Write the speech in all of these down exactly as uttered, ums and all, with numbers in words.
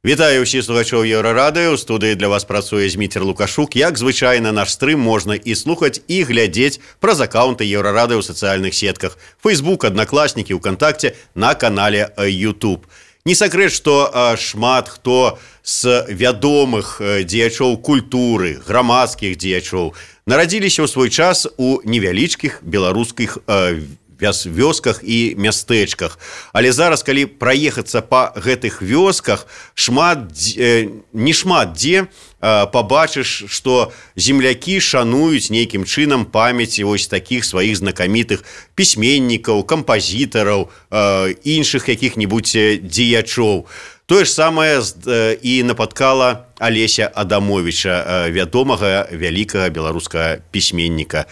Вітаю ўсіх слухачоў Еўрарадыё. У студыі для вас працуе Зміцер Лукашук. Як звычайна, наш стрым можна і слухаць, і глядзець праз акаунты Еўрарадыё ў сацыяльных сетках. Facebook, Аднакласнікі, УКонтакце, на канале YouTube. Не сакрэт, што шмат хто з вядомых дзеячоў культуры, грамадскіх дзеячоў нарадзіліся ў свой час у невялічкіх беларускіх вёсках і мястэчках. Але зараз, калі праехацца па гэтых вёсках, шмат, не шмат дзе пабачыш, што землякі шануюць нейкім чынам памяці вось такіх сваіх знакамітых пісьменнікаў, кампазітараў, іншых якіх-небудзь дзеячоў. Тое ж самае і напаткала Алеся Адамовіча, вядомага вялікага беларускага пісьменніка.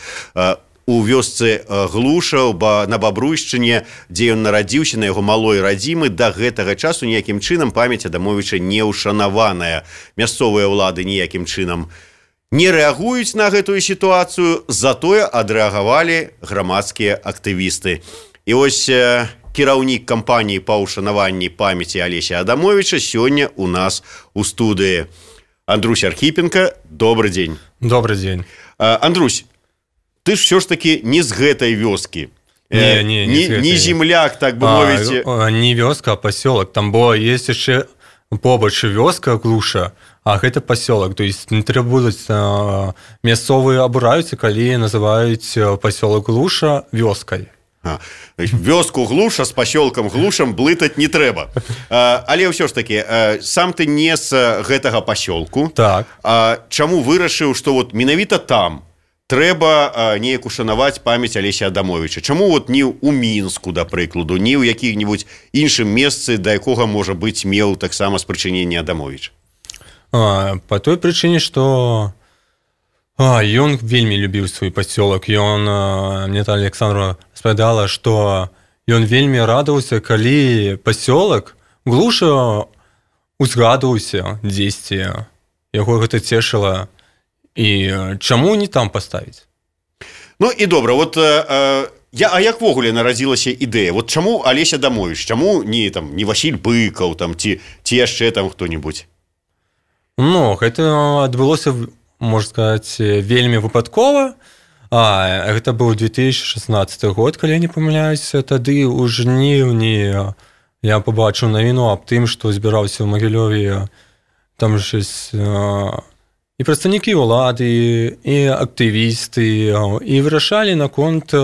У вёсцы Глуша на Бабруйшчыне, дзе ён нарадзіўся, на яго малой радзімы, да гэтага часу ніякім чынам памяць Адамовіча не ўшанаваная. Мясцовыя ўлады ніякім чынам не рэагуюць на гэтую сітуацыю, затое адрэагавалі грамадскія актывісты. І вось кіраўнік кампаніі па ўшанаванні памяці Алеся Адамовіча сёння у нас у студыі. Андрусь Архіпенка, добры дзень. Добры дзень. Андрусь, ты ж все ж таки не з гэтай вёскі. Не, не, не, не, не земляк, так бы мовіць. А, не вёска, а пасёлак. Там бо есть яшчэ побач вёска Глуша, а гэта пасёлак. То есть не трэба будуць мясцовыя абураюцца, калі называюць пасёлак Глуша вёскай. А, вёску Глуша з пасёлкам Глушам блытаць не трэба. А, але ўсё ж таки, сам ты не з гэтага пасёлку. Так. А чаму вырашыў, што вот менавіта там трэба неяк ушанаваць памяць Алеся Адамовіча? Чаму вот не ў Мінску, да прыкладу, не ў якіх-небудзь іншым месцы, да якога, можа быць, меў таксама спрычыненне Адамовіч? А, па той прычыне, што а, ён вельмі любіў свой пасёлак. Ён, мне там Александра распавядала, што ён вельмі радаваўся, калі пасёлак Глуша узгадваўся дзесьці. Яго гэта цешыла. І чаму не там паставіць? Ну і добра, вот э, я, а як ввогуле нарадзілася ідэя? Вот чаму Алеся Адамовіч, чаму не, там, не Васіль Быкаў, там, ці, ці яшчэ там хто-небудзь? Ну, гэта адбылося, можна сказаць, вельмі выпадкова. А, гэта быў две тысячи шестнадцатый год, калі я не памыляюся. Тады ў жніўні я пабачыў навіну аб тым, што збіраўся ў Магілёве там щось... І прадстаўнікі ўлады, і актывісты, і вырашалі наконт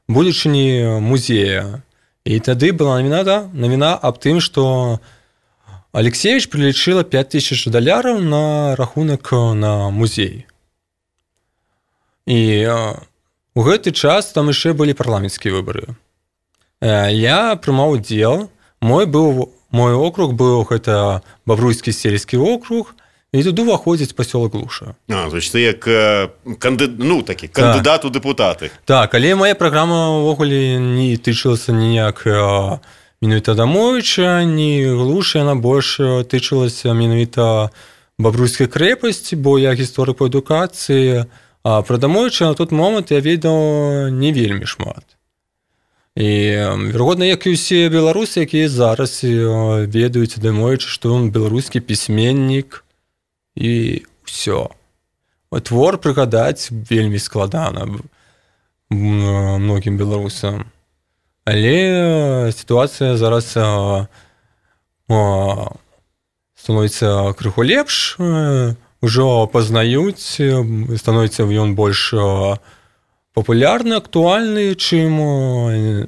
будучыні музея. І тады была навіна, да, навіна аб тым, што Алексеевич прылічыла пять тысяч даляраў на рахунак на музей. І у гэты час там яшчэ былі парламенцкія выбары. Я прымаў удзел, мой быў, мой округ быў гэта Бабруйскі сельскі округ, і туды ўваходзіць пасёлак Глуша. А, то есть ты як канды... ну, такі, кандыдат у дэпутаты. Так, але моя праграма ўвогуле не тычылася ніяк менавіта Адамовіча, ні Глуша, яна больш тычылася менавіта Бабруйскай крэпасці, бо я гісторык па адукацыі, а пра Адамовіча на тот момант я ведаў не вельмі шмат. І, верагодна, як і ўсе беларусы, якія зараз ведаюць Адамовіча, што ён беларускі пісьменнік, і ўсё. Твор прыгадаць вельмі складана многім беларусам. Але сітуацыя зараз а, а, становіцца крыху лепш, ужо пазнаюць, становіцца ён больш папулярны, актуальны, чым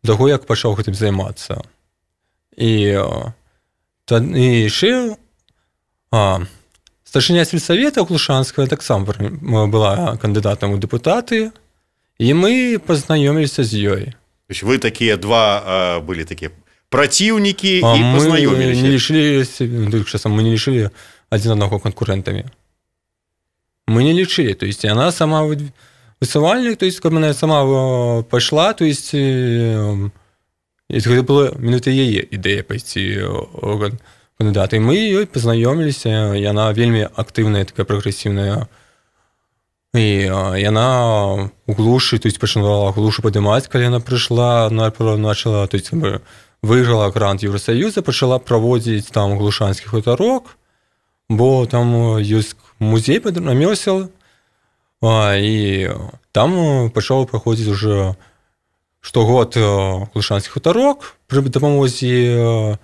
да таго, як пачаў гэтым займацца. І, і яшчэ а, старшыня сельсавета Глушанская таксама была кандыдатам у дэпутаты, і мы пазнаёміліся з ёй. То есть вы такія два а, былі такія праціўнікі а і пазнаёміліся? Не лічылі, часам мы не лічылі адзін аднаго канкурэнтамі. Мы не лічылі, то есть яна сама высувальнік, то есть каб яна сама пайшла, то есть гэта была менавіта яе ідэя пайсці кандыдаты. Мы ёй пазнаёміліся, яна вельмі актыўная, такая прагрэсіўная. І яна у Глушы, то есть пачынала Глушу падымаць, калі яна прыйшла, начала, то есть выйграла грант Еўрасаюза, пачала праводзіць там глушанскі хутарок, бо там ёсць музей рамёсел, і там пачаў праходзіць уже штогод глушанскі хутарок пры дапамозе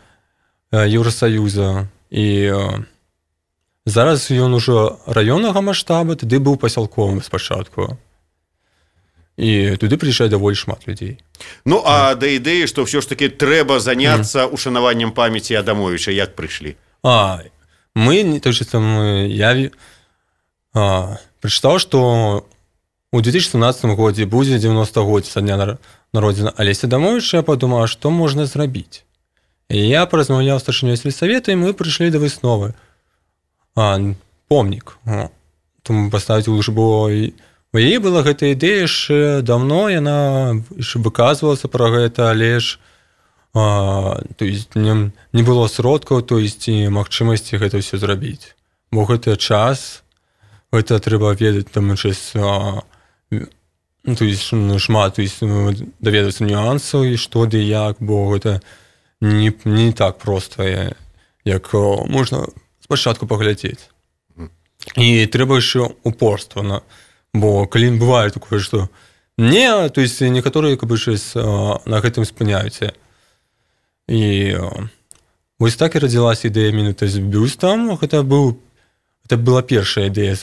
Еўрасаюза, і зараз ён ужо раённага маштаба, тады быў пасялковым спачатку. І туды прыязджае даволі шмат людзей. Ну, а да ідэі, што ўсё ж такі трэба заняцца mm. ушанаваннем памяці Адамовіча, як прыйшлі? А, мы, то есть, я а, прачытаў, што у две тысячи семнадцатым годзе будзе дзевяностагоддзе са дня народзення Алеся Адамовіча, я падумала, што можна зрабіць. І я паразмаўляў з старшынёй сельсавета, і мы прыйшлі да высновы. А, помнік. Тому паставіць лучше, бо у яе была гэта ідэя яшчэ даўно, яна яшчэ выказвалася пра гэта, але ж а, то есть, не, не было сродкаў, то есть, і магчымасці гэта ўсё зрабіць. Бо гэта час, гэта трэба ведаць там час, а, то есть, шмат, то есть, даведацца нюансаў і што ды як, бо гэта не, не так проста, як можна спачатку паглядзець. І трэба яшчэ упорства на бо калі бывае такое, што не, то есть некаторыя как бы на гэтым спыняюцца. І вось так і радзілася ідэя менавіта з бюстам. Гэта быў гэта была першая ідэя,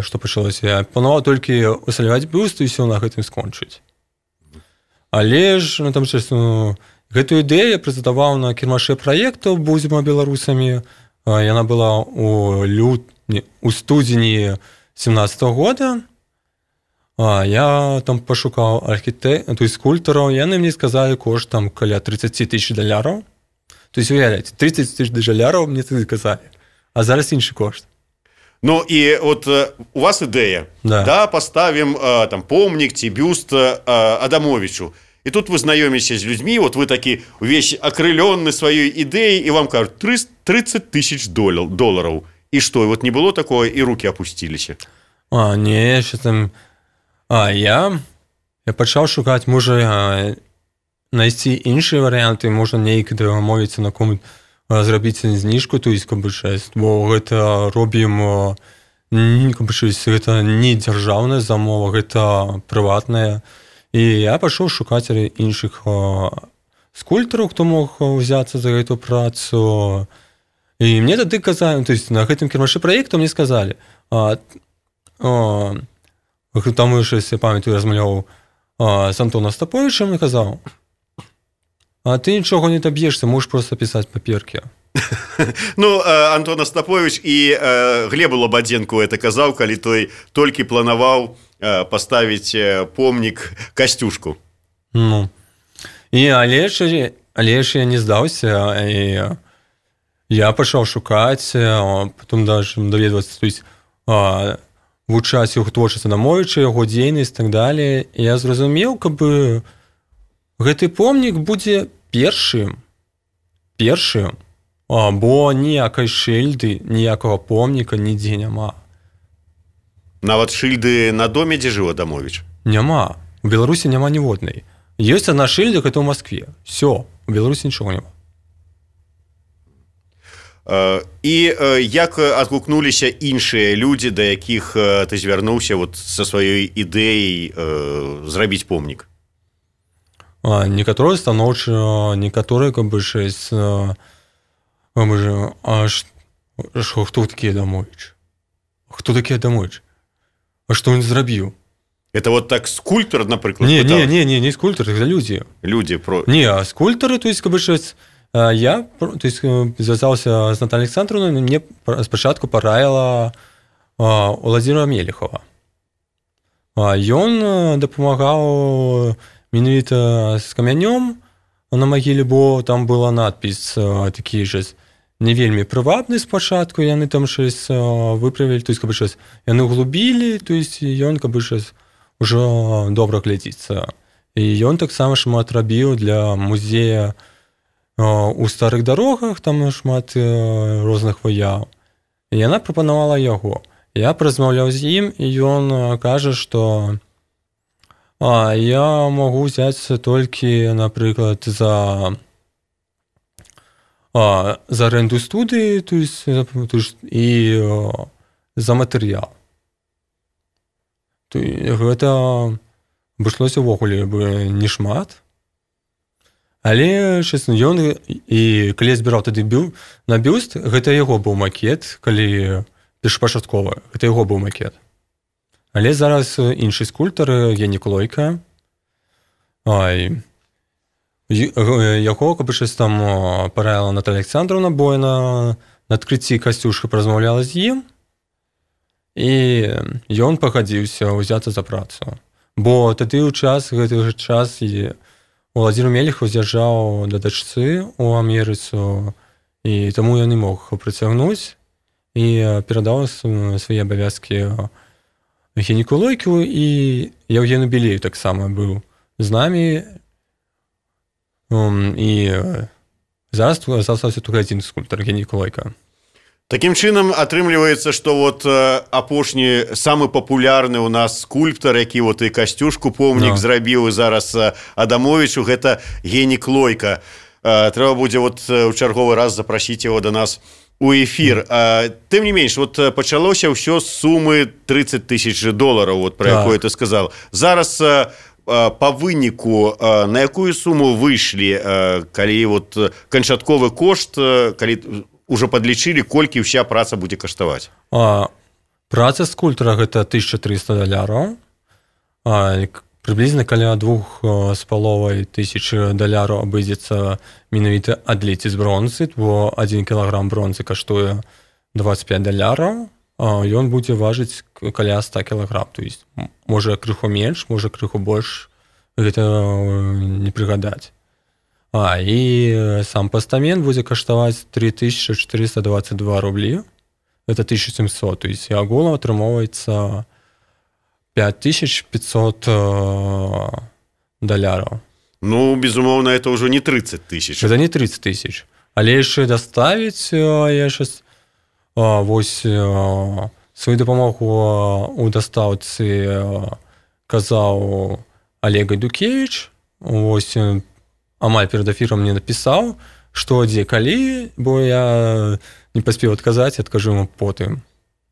што пачалася. Я планаваў толькі усталяваць бюст і ўсё на гэтым скончыць. Але ж ну, там час, ну, гэтую ідэю я прэзентаваў на кірмашы праектаў «Будзем беларусамі». Яна была у лют у студзені семнадцатого года. А, я там пошукаў архітэктараў, то есть скульптараў, яны мне сказалі кошт там каля тридцать тысяч даляраў. То есть, уявляеце, тридцать тысяч даляраў мне тады казалі, а зараз іншы кошт. Ну і от у вас ідэя, да, да паставім там помнік ці бюст Адамовічу. І тут вы знаёміся з людзьмі, вот вы такі увесь акрылённы сваёй ідэяй, і вам кажуць тридцать тысяч долараў. І што, вот не было такое, і рукі апусціліся? А, не, ще там... А, я... Я пачаў шукаць, можа, знайсці іншыя варыянты, можа, нейк дамовіцца на кому зрабіць зніжку, то есть, каб бы шэсць, бо гэта робім... Каб бы шэсць, гэта не дзяржаўная замова, гэта прыватная. І я пачаў шукаць іншых скульптараў, хто мог узяцца за гэту працу. І мне тады казалі, то есть на гэтым кірмашы праекту мне сказалі, а, а, там яшчэ, я памятаю, размаўляў з Антонам Остаповичем і казаў, а ты нічога не даб'ешся, можаш проста пісаць паперкі. Ну, Антон Остапович і Глебу Лабадзенку это казаў, калі той толькі планаваў паставіць помнік Касцюшку. Ну, і але ж, але ж я не здаўся, і я пачаў шукаць, потом даже даведвацца, то есть вывучаць яго творчасць Адамовіча, яго дзейнасць і так далее. І я зразумеў, каб бы гэты помнік будзе першым, першым, бо ніякай шыльды, ніякага помніка нідзе няма. Нават шыльды на доме, дзе жыў Адамовіч? Няма. У Беларусі няма ніводнай. Ёсць адна шыльда, гэта ў Маскве. Всё, у Беларусі нічога няма. І як адгукнуліся іншыя людзі, да якіх ты звярнуўся вот са сваёй ідэяй зрабіць помнік? Некаторыя станоўча, некаторыя каб бы шэсць, а хто такі Адамовіч? Хто такі Адамовіч? А што ён зрабіў? Это вот так скульптор, напрыклад? Не, не, не, не, не скульптор, это людзі. Людзі про... Не, а скульптары, то есть каб бы шэсць. Я, то есть, звязаўся з Натальей Александровной, мне спачатку параіла Владимира Мелехова. Ён дапамагаў менавіта з камянём на магіле, бо там была надпіс такі ж не вельмі прывабны спачатку, яны там шэсць выправілі, то есть, каб бы шэсць, яны углубілі, то есть, ён каб бы шэсць ужо добра глядзіцца. І ён таксама шмат рабіў для музея у старых дарогах, там шмат розных выяў. І яна прапанавала яго. Я паразмаўляў з ім, і ён кажа, што а, я магу взяць толькі, напрыклад, за а, за аренду студыі, то есть, то есть, і а, за матэрыял. То есть, гэта абышлося ўвогуле бы не шмат. Але честно, ён і калі я збіраў тады бю, на бюст, гэта яго быў макет, калі першапачаткова, гэта яго быў макет. Але зараз іншы скульптар, Генік Лойка, ай, яго, каб щось там параіла Наталя Александровна Бойна, на адкрыцці Касцюшка паразмаўляла з ім, і ён пагадзіўся ўзяцца за працу. Бо тады ў час, гэты час, і Владзімір Мелехаў з'язджаў да дачцы ў Амерыцу, і таму ён не мог прыцягнуць, і перадаў свае абавязкі Геніку Лойку, і Яўгену Белею таксама быў з намі, і зараз застаўся толькі адзін скульптар, Генік Лойка. Такім чынам атрымліваецца, што вот апошні самы папулярны ў нас скульптар, які вот і Касцюшку помнік no. зрабіў, і зараз Адамовічу, гэта Генік Лойка. Трэба будзе вот у чарговы раз запрасіць яго да нас у эфір. Тым не менш, вот пачалося ўсё з сумы тридцать тысяч долараў, вот про якое ты сказал. Зараз по выніку на якую суму выйшлі, калі вот канчатковы кошт, калі уже подлічылі, колькі ўся праца будзе каштаваць? А, праца скульптара гэта тысяча триста даляраў. А, прыблізна каля двух з паловай тысяч даляраў абыдзецца менавіта адліць з бронзы, бо адзін кілаграм бронзы каштуе двадцать пять даляраў, а ён будзе важыць каля сто кілаграм. То есть, можа крыху менш, можа крыху больш, гэта не прыгадаць. А, і сам пастамент будзе каштаваць три тысячи четыреста двадцать два рублі. Это тысяча семьсот. То есть, агулам атрымоўваецца пять тысяч пятьсот даляраў. Ну, безумоўно, это уже не тридцать тысяч. Это не тридцать тысяч. Але яшчэ даставіць, я щас вось сваю дапамогу у дастаўцы казаў Олег Гайдукевич. Вось амаль перад эфірам мне напісаў, што дзе калі, бо я не паспеў адказаць, адкажу ему потым.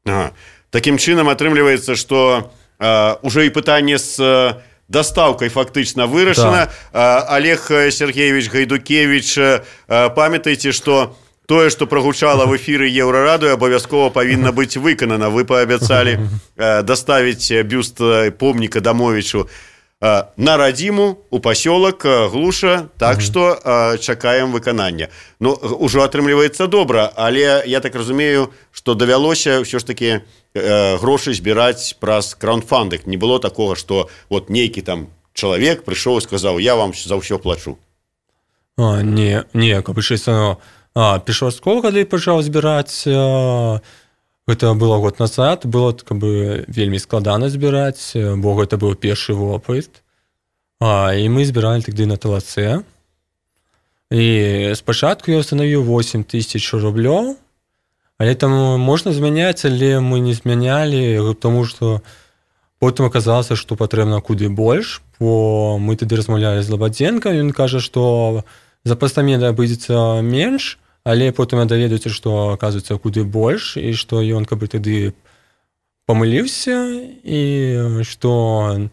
Ага. Такім чынам атрымліваецца, што Uh, уже і пытанне з uh, дастаўкай фактычна вырашана. Да. Uh, Олег Сергеевич Гайдукевич, uh, памятайце, што тое, што прагучала в эфіры Еўрарадыё, абавязкова павінна быць выканана. Вы паабяцалі uh, даставіць бюст uh, помніка Адамовічу uh, на радзіму, у пасёлак uh, Глуша, так што uh, чакаем выканання. Ну, ужо атрымліваецца добра, але я так разумею, што давялося ўсё ж такі гроши збіраць праз краундфандинг. Не было такого, што вот нейкі там чалавек прыйшоў і сказаў, я вам за ўсё плачу. А, не, не, каб ну, першапачаткова, калі пачаў збіраць, а, гэта было год назад, было как бы вельмі складана збіраць, бо гэта быў першы вопыт. А, і мы збіралі тады на ТЛЦ. І спачатку я установіў восемь тысяч рублёў. Але там можна змяняць, але мы не змянялі, тому што потым аказалася, што патрэбна куды больш, бо мы тады размаўлялі з Лабадзенкам, ён кажа, што за пастамент абыдзецца менш, але потым я даведаюся, што аказваецца куды больш, і што ён каб тады памыліўся, і што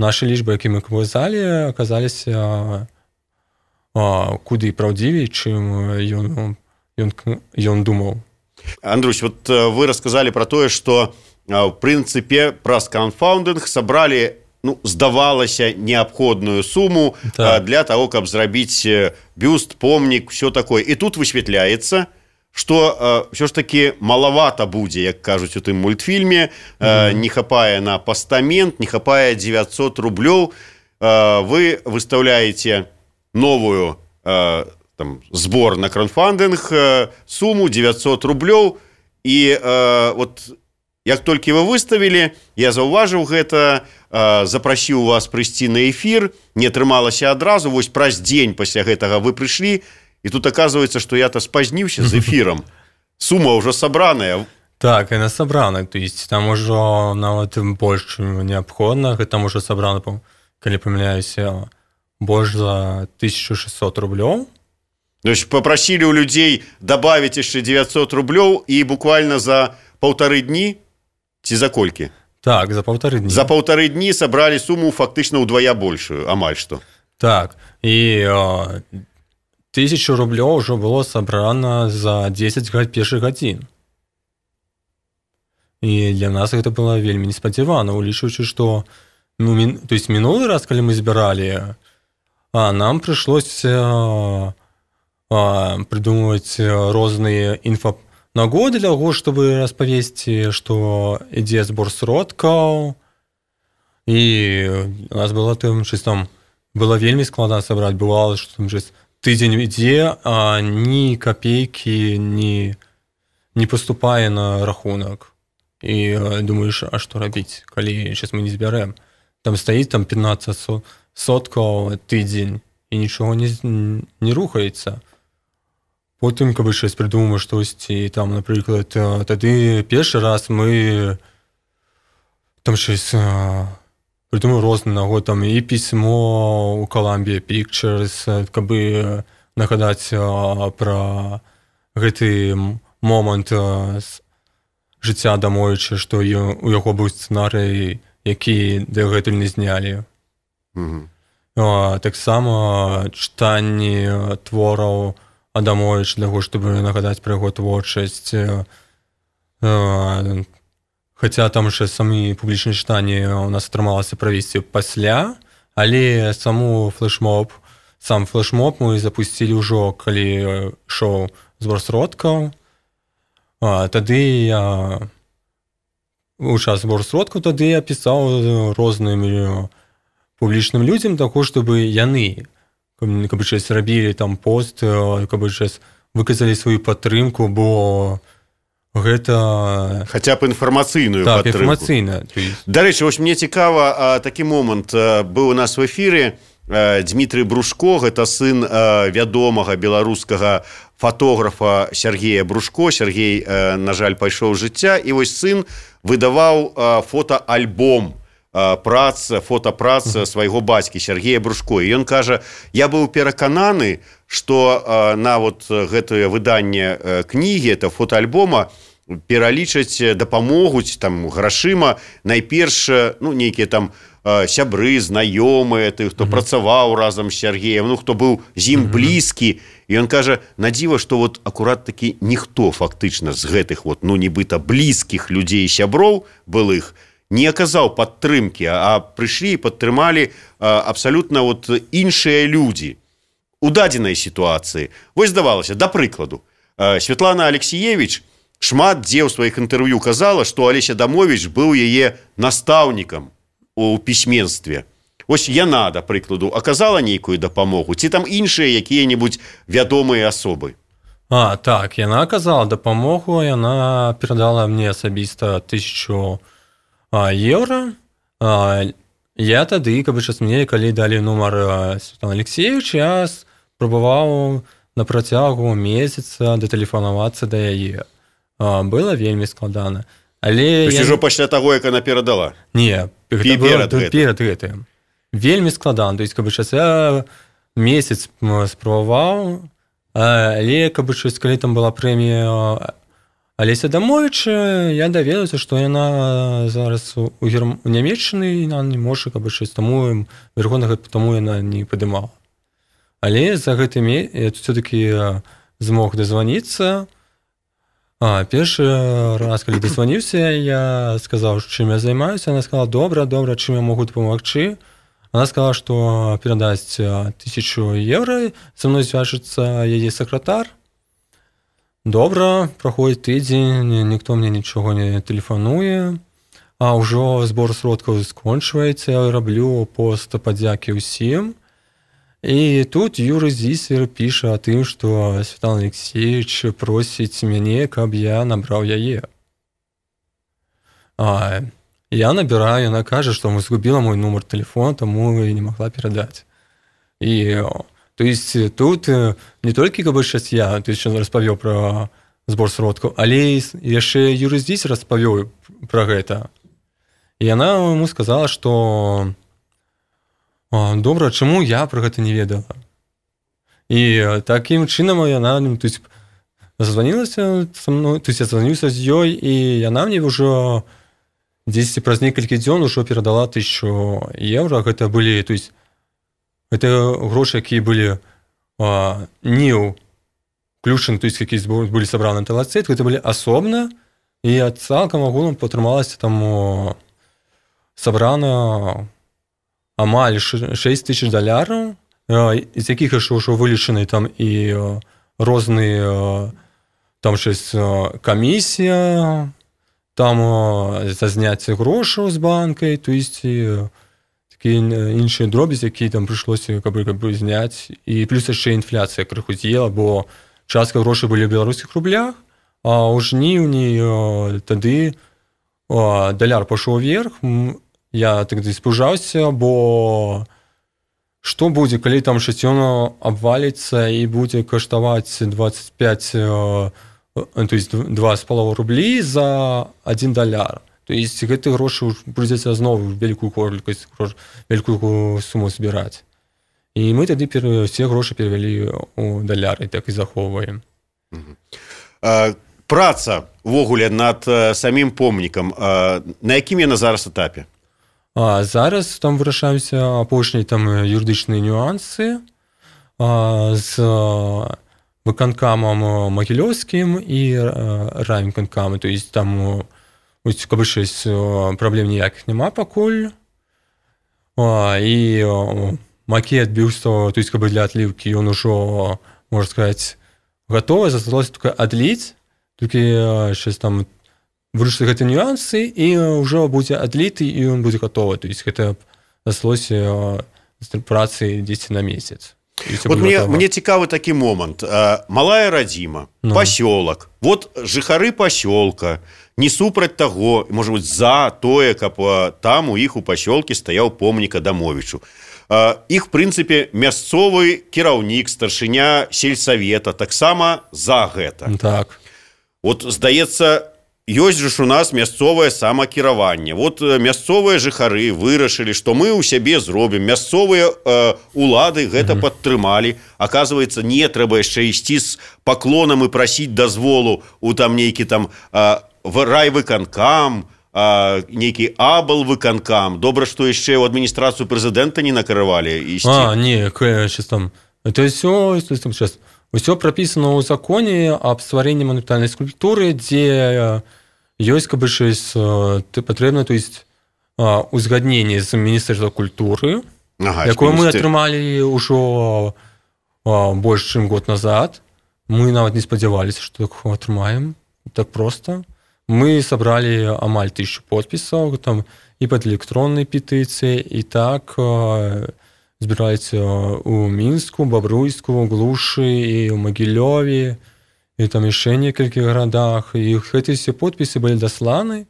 нашы лічбы, які мы казалі, аказаліся куды праўдзівей, чым ён, ён, ён думаў. Андрусь, вот вы рассказали про то, что в принципе праз краундфандинг собрали, ну, здавалася, необходную сумму так. для того, каб зрабіць бюст, помнік, все такое. И тут высветляется, что все ж таки маловато будзе, як кажуць у тым мультфільме, mm-hmm. не хапае на пастамент, не хапае девятьсот рублёў. Вы выставляете новую там, сбор на краундфандинг, сумму девятьсот рублёў, і э, вот як толькі вы выставілі, я заўважыў гэта, э, запрасіў вас прыйсці на эфір, не атрымалася адразу, вось праз дзень пасля гэтага вы прыйшлі, і тут оказывается, што я-то спазніўся з эфірам. Сума ўжо сабраная. Так, яна сабрана, то есть там ужо нават больш, чым неабходна, там ужо сабрана, калі памыляюся, больш за тысячу шестьсот рублёў. То есть попросили у людей добавить еще девятьсот рублей и буквально за полторы дни, ці за колькі? Так, за полторы дні. За полторы дні собрали сумму фактично удвоя большую, амаль что. Так, і о, тысячу рублей уже было собрано за десять першых гадзін. І для нас гэта было вельмі неспадзявана, улічваючы, што ну, мін, то есть мінулы раз, калі мы збіралі, а нам прыйшлось а, а, придумываць розныя інфанагоды для таго, чтобы распавесці, што ідзе збор сродкаў, і у нас было там, что там было вельмі складана сабраць, бывало, што там тыдзень ідзе, а ні копейкі не, не поступае на рахунак. І думаеш, а што рабіць, калі сейчас мы не збярэм? Там стаіць там пятнаццаць соткаў тыдзень, і нічого не, не рухаецца. Потым, каб щось придумаеш штосьці, там, напрыклад, тады першы раз мы там щось придумали розны нагод, там і пісьмо у Columbia Pictures, каб нагадаць пра гэты момант жыцця Адамовіча, што у яго быў сцэнарый, які дагэтуль не знялі. Угу. Таксама чытанні твораў Адамовіча для таго, щоб нагадаць пра яго творчасць. Хаця там ще самі публічні чытанні у нас атрымалася правесці пасля, але саму флешмоб, сам флешмоб мы запусцілі ўжо, калі ішоў збор сродкаў. Тады я у час збору сродкаў тады я пісаў рознымі публічным людзям таго, чтобы яны каб щось рабілі там пост, каб щось выказалі сваю падтрымку, бо гэта хаця б інфармацыйную так, падтрымку. Інфармацыйна. Дарэчы, вось мне цікава, такі момант быў у нас в эфіры. Дмітрый Брушко, гэта сын вядомага беларускага фотографа Сергея Брушко. Сергей, на жаль, пайшоў з жыцця, і вось сын выдаваў фотоальбом прац, фотопрац свайго бацькі Сергея Брушко. І ён кажа, я быў перакананы, што на вот гэтае выданне кнігі, это фотоальбома, пералічаць, дапамогуць там грашыма найперш, ну, нейкія там сябры, знаёмыя, ты, хто mm-hmm. працаваў разам з Сергеем, ну, хто быў з ім mm-hmm. блізкі. І ён кажа, на дзіва, што вот акурат такі ніхто фактычна з гэтых вот, ну, нібыта блізкіх людзей і сяброў былых не аказаў падтрымкі, а прыйшлі і падтрымалі абсалютна вот іншыя людзі у дадзенай сітуацыі. Вось здавалася, да прыкладу, Святлана Алексіевіч шмат дзе ў сваіх інтэрв'ю казала, што Алесь Адамовіч быў яе настаўнікам у пісьменстве. Вось яна, да прыкладу, аказала нейкую дапамогу, ці там іншыя якія-небудзь вядомыя асобы? А, так, яна аказала дапамогу, яна перадала мне асабіста тысячу а, еўра. А, я тады, каб час мне, калі далі нумар Святлана Алексеевича, я спрабаваў на працягу месяца датэлефанавацца да яе. А, было вельмі складана. Але то есть я... ўжо пасля таго, як она перадала? Не, гэта было перад гэтым. Вельмі складана. То есть, каб час я месяц спрабаваў, але каб час, калі там была прэмія Алеся Адамовіча, я даведаўся, што яна зараз у, Герм... у Нямецчыны, і яна не можа, каб час, таму верховнага, таму яна не падымала. Але за гэты месяц я все-таки змог дазваніцца. А, першы раз, калі дазваніўся, я сказаў, чым я займаюся. Она сказала, добра, добра, чым я могу дапамагчы. Она сказала, што перадасць тысячу еўра, са мной звяжацца яе сакратар. Добра, праходзіць тыдзень, ніхто мне нічога не тэлефануе. А ўжо збор сродкаў скончваецца, я раблю пост падзякі ўсім. І тут Юрый Зісер піша о тым, што Святлана Алексеевич просіць мяне, каб я набраў яе. А, я набіраю, яна кажа, што згубіла мой нумар тэлефона, таму і не магла перадаць. І, то есть, тут не толькі, каб щас я, то есть, распавёў пра збор сродкаў, але яшчэ Юрый Зісер распавёў пра гэта. І яна яму сказала, што добра, чаму я пра гэта не ведала? І таким чынам яна, ну, то есть, зазванілася са мной, то есть я званюся з ёй, і яна мне ўжо дзесьці праз некалькі дзён ужо перадала тысячу еўра. Гэта былі, то есть, гэта грошы, якія былі а, не ўключаны, то есть, якія былі сабраны на талацэт, гэта былі асобна, і цалкам агулам атрымалася там сабрана амаль шэсць тысяч даляраў, з якіх яшчэ ўжо вылічаны там і розныя там щось камісія, там за зняцце грошаў з банкай, то есть такія іншыя дробязі, які там прыйшлося каб, каб зняць, і плюс яшчэ інфляцыя крыху з'ела, бо частка грошай былі ў беларускіх рублях, а ў жніўні тады даляр пашоў вверх. Я тады спужаўся, бо што будзе, калі там шасцёна абваліцца і будзе каштаваць двадцать пять, то есть два з паловай рублі за один даляр. То есть гэты грошы прыйдзецца зноў вялікую колькасць, вялікую суму збіраць. І мы тады все грошы перавялі ў даляры, так і захоўваем. Праца ўвогуле над самім помнікам, на якім яна зараз этапе? А зараз там вырашаюцца апошнія там юрыдычныя нюансы а, з выканкамам магілёўскім і райвыканкамам. То есть там каб щось праблем ніякіх няма пакуль. А, і макет бюста, то есть каб для адліўкі ён ужо, можна сказаць, гатовы, засталося толькі адліць, толькі щось там вырашыць гэты нюансы, і ўжо будзе адліты, і ён будзе гатовы. То есть гэта засталося працы дзесьці на месяц. Вот мне, мне цікавы такі момант. Малая радзіма, ну. Пасёлак. Вот жыхары пасёлка не супраць таго, можа быць, за тое, каб там у іх у пасёлкі стаяў помнік Адамовічу. Іх, в прынцыпе, мясцовы кіраўнік, старшыня сельсавета таксама за гэта. Так. Вот, здаецца, ёсць жа ж у нас мясцовае самакіраванне. Вот мясцовыя жыхары вырашылі, што мы ў сябе зробім. Мясцовыя э, улады гэта mm-hmm. падтрымалі. Аказваецца, не трэба яшчэ ісці з паклонам і прасіць дазволу у там нейкі там э, райвыканкам, э, нейкі аблвыканкам. Добра, што яшчэ ў адміністрацыю прэзідэнта не накаравалі ісці. А, не, сейчас там. Это всё, там сейчас. Усё прапісана ў законе аб стварэнні манументальнай скульптуры, дзе ёсць каб щось патрэбна, то есть узгадненне з міністэрства культуры, ага, якое мы атрымалі ўжо больш чым год назад. Мы нават не спадзяваліся, што так атрымаем так проста. Мы сабралі амаль тысячу подпісаў там і пад электроннай петыцыяй, і так збіраюцца ў Мінску, Бабруйску, Глушы і ў Магілёве, і там яшчэ некалькі гарадах. І гэтыя все подпісы былі дасланы.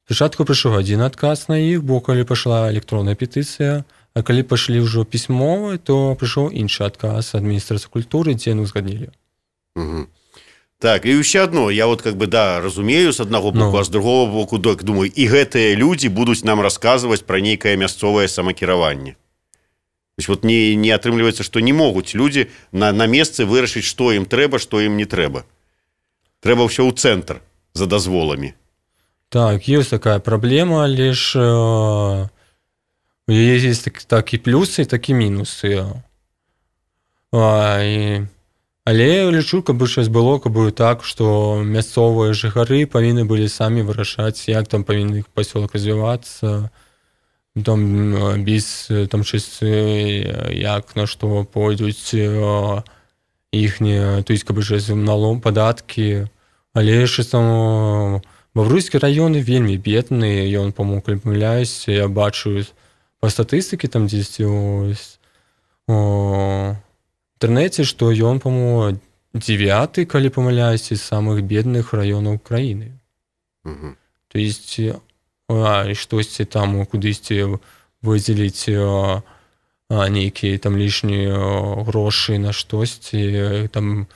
Спачатку прыйшоў адзін адказ на іх, бо калі пайшла электронная петыцыя, а калі пайшлі ўжо пісьмовы, то прыйшоў іншы адказ ад міністэрства культуры, дзе яны ўзгаднілі. Угу. Так, і ўсё адно, я вот как бы, да, разумею з аднаго боку, no. а з другого боку, так, думаю, і гэтыя людзі будуць нам расказваць пра нейкае мясцовае самакіраванне. То есть вот не, не атрымліваецца, што не могуць людзі на, на месцы вырашыць, што ім трэба, што ім не трэба. Трэба ўсё ў цэнтр за дазволамі. Так, ёсць такая праблема, але ж у яе ёсць так, так і плюсы, так і мінусы. А, і, але я лічу, каб щось было, каб так, што мясцовыя жыхары павінны былі самі вырашаць, як там павінны іх пасёлак развівацца, там без там щось, як на што пойдуць іхнія, то есть каб щось налом, падаткі, але ж там Бавруйскі раён вельмі бедны, ён, по-моему, калі памыляюсь, я бачу па статыстыкі там дзесьці у інтэрнэце, што ён, по-моему, дзевяты, калі памыляюсь, з самых бедных раёнаў краіны. Угу. То есть а, штосьці там кудысьці выдзеліць нейкія там лішнія грошы на штосьці там.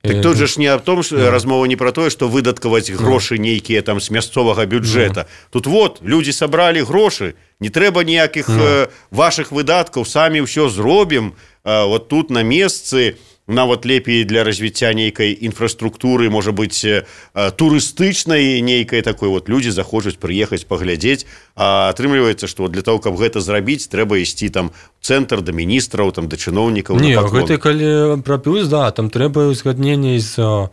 Так тут же ж не о том, что yeah. размова не про тое, што выдаткаваць грошы нейкія там з мясцовага бюджэта. Yeah. Тут вот людзі сабралі грошы, не трэба ніякіх yeah. вашых выдаткаў, самі ўсё зробім, вот тут на месцы нават лепей для развіцця нейкай інфраструктуры, можа быць, турыстычнай нейкай такой, вот людзі захочуць прыехаць паглядзець, а атрымліваецца, што для того, каб гэта зрабіць, трэба ісці там в цэнтр да міністраў, там да чыноўнікаў. Не, гэта калі пра плюс, да, там трэба ўзгадненне з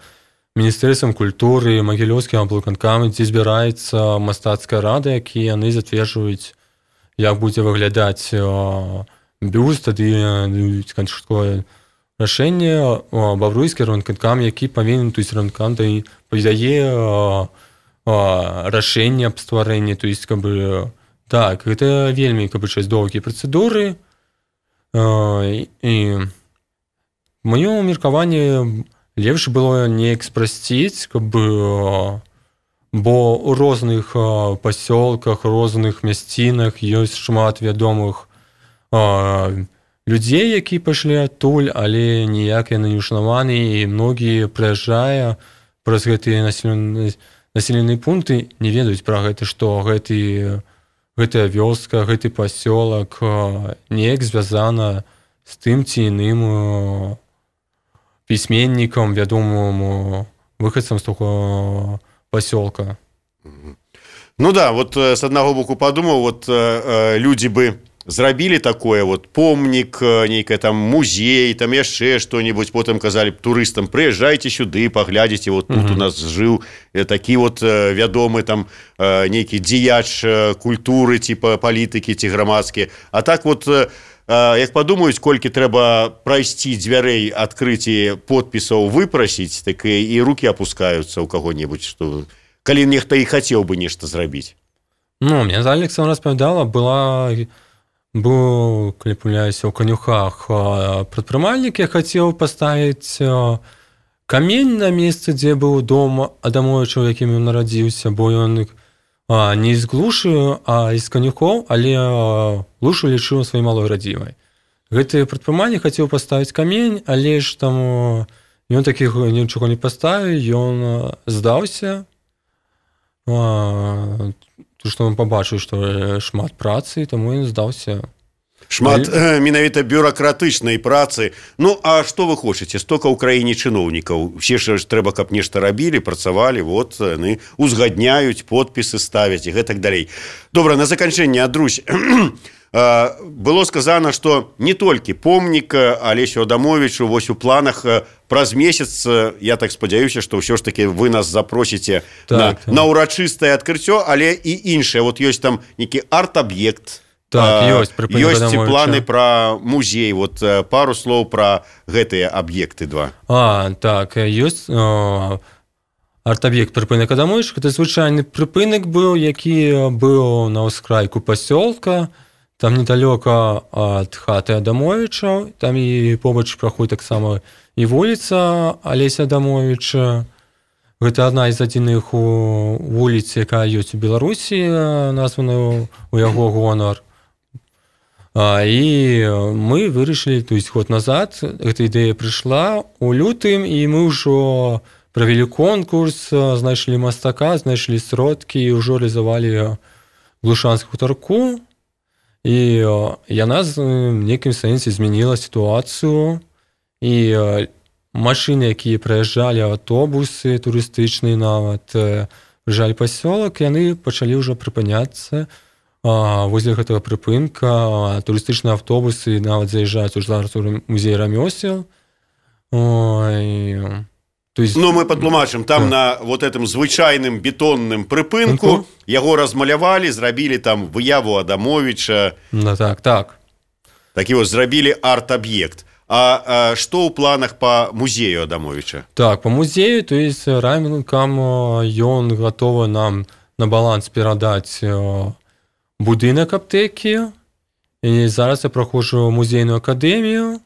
Міністэрствам культуры, Магілёўскім аблвыканкамам, дзе збіраецца мастацкая рада, якія яны зацверджваюць, як будзе выглядаць бюст, тады канчатковае рашэнне Бавруйскі райвыканкам, які павінен, то есть райвыканкам падае рашэнне аб стварэнні, то есть каб бы так, гэта вельмі каб бы час доўгія працэдуры. І маё меркаванне лепш было неяк спрасціць, каб бы, бо ў розных пасёлках, розных мясцінах ёсць шмат вядомых людзей, які пайшлі адтуль, але ніяк яны не ўшанаваны, і многія, прыязджая праз гэтыя населеныя пункты, не ведаюць пра гэта, што гэты, гэтая вёска, гэты пасёлак неяк звязана з тым ці іным пісьменнікам, вядомым выхадцам з таго пасёлка. Ну да, вот с аднаго боку падумаў, вот людзі бы зрабілі такое, вот помнік, нейкая там музей, там яшчэ што-нибудь, потым казалі б турыстам, прыязджайце сюды, паглядзіце, вот тут у нас жыў такі вот вядомы там нейкі дзеяч культуры, типа палітыкі ці грамадскі. А так вот, як падумаюць, колькі трэба прайсці дзвярэй, адкрыць і подпісаў выпрасіць, так і рукі апускаюцца ў каго-небудзь, што калі нехта і хацеў бы нешта зрабіць. Ну, мне Александра распавядала, была... Быў, калі памыляюся, у Канюхах прадпрымальнік, я хацеў паставіць камень на месцы, дзе быў дом Адамовіча, у якім ён нарадзіўся, бо ён не з Глушы, а з Канюхоў, але Глушу лічыў сваёй малой радзімай. Гэты прадпрымальнік хацеў паставіць камень, але ж там ён такіх нічога не паставіў, ён здаўся, што он пабачыў, што шмат працы, таму ён здаўся. Шмат Але... менавіта бюракратычнай працы. Ну, а што вы хочаце? Стока ў краіне чыноўнікаў. Усе ж трэба, каб нешта рабілі, працавалі, вот, яны узгадняюць, подпісы ставяць і гэтак далей. Добра, на заканчэнне, Адрусь, было сказано, што не толькі помнік Алесю Адамовічу, вось у планах праз месяц, я так спадзяюся, што ўсё ж таки вы нас запросіце так, на, так. на ўрачыстае адкрыццё, але і іншае. Вот ёсць там нейкі арт-аб'ект, так, ёсць, ёсць і планы пра музей. Вот пару слоў пра гэтыя аб'екты два. А, так, ёсць о, арт-аб'ект прыпынак Адамовіча. Гэта звычайны прыпынак быў, які быў на ўскрайку пасёлка, там недалёка ад хаты Адамовіча, там і побач праходзіць таксама і вуліца Алеся Адамовіча. Гэта адна з адзіных вуліц, якая ёсць у Беларусі, названа ў яго гонар. І мы вырашылі, то есть год назад, гэта ідэя прыйшла у лютым, і мы ўжо правялі конкурс, знайшлі мастака, знайшлі сродкі і ўжо рэалізавалі глушанскую хутарку. І яна в нейкім сэнсе змяніла сітуацыю, і машыны, якія праязджалі, аўтобусы турыстычныя нават, прыязджалі пасёлак, яны пачалі ўжо прыпыняцца возле гэтага прыпынка. Турыстычныя аўтобусы нават заязджаюць у зараз у музей рамёсел. То есть... Ну, мы падтлумачым, там да. на вот этом звычайным бетонным прыпынку uh-huh. яго размалявалі, зрабілі там выяву Адамовіча. Ну, так, так. Такі вот зрабілі арт-аб'ект. А, а што ў планах па музею Адамовіча? Так, па музею, то есть райвыканкам ён гатовы нам на баланс перадаць будынак аптэкі. І зараз я праходжу музейную акадэмію,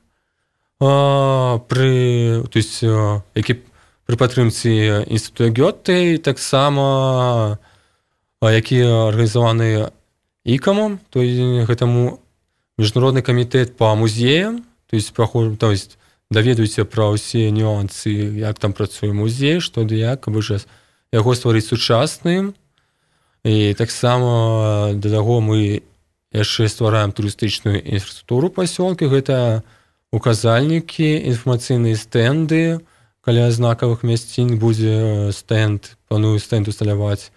пры, то есть, які пры падтрымцы інстытута Гёте, таксама які арганізаваны ікамам, то есть гэтаму міжнародны камітэт па музеям, то есть праходжу, то есть даведуюся пра ўсе нюансы, як там працуе музей, што ды як, каб жа яго стварыць сучасным. І таксама да таго мы яшчэ ствараем турыстычную інфраструктуру пасёлкі. Гэта указальнікі, інфармацыйныя стэнды. Каля знакавых мясцін будзе стэнд, планую стэнд усталяваць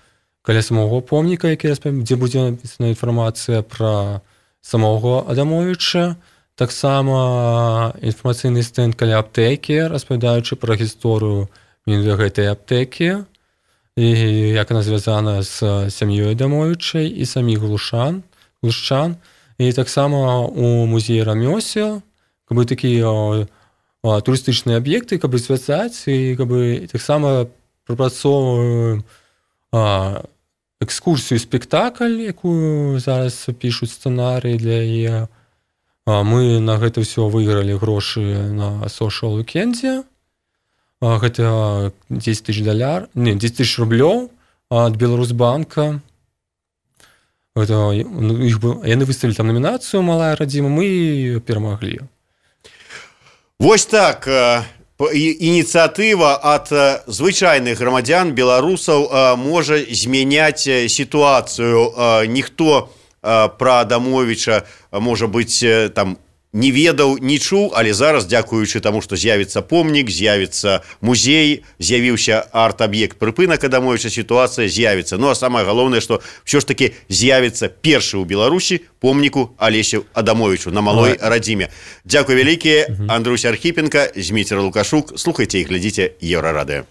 каля самого помніка, які распавядае, дзе будзе напісана інфармацыя пра самого Адамовіча. Таксама інфармацыйны стэнд каля аптэкі, распавядаючы пра гісторыю гэтай аптэкі і як яна звязана з сям'ёй Адамовіча і саміх глушан, глушчан. І таксама у музеі рамёсел, каб бы такія турыстычныя аб'екты, каб бы звязаць, і каб бы таксама прапрацоўваем экскурсію, спектакль, якую зараз пішуць сцэнарый для яе. Мы на гэта ўсё выйгралі грошы на Social Weekend. Гэта дзесяць тысяч даляр, не, дзесяць тысяч рублёў ад Беларусьбанка. Гэта, іх, яны выставілі там намінацыю «Малая радзіма», мы перамаглі. Вось так, ініцыятыва ад звычайных грамадзян, беларусаў можа змяняць сітуацыю. Ніхто пра Адамовіча, можа быць, там не ведаў, не чуў, але зараз, дзякуючы таму, што з'явіцца помнік, з'явіцца музей, з'явіўся арт-аб'ект прыпынак Адамовіча, сітуацыя з'явіцца. Ну, а самае галоўнае, што ўсё ж такі з'явіцца першы ў Беларусі помніку Алесю Адамовічу на Малой радзіме. Дзякуй вялікія, Андруся Архіпенка, Зміцер Лукашук. Слухайце і глядзіце Еўрарадыё.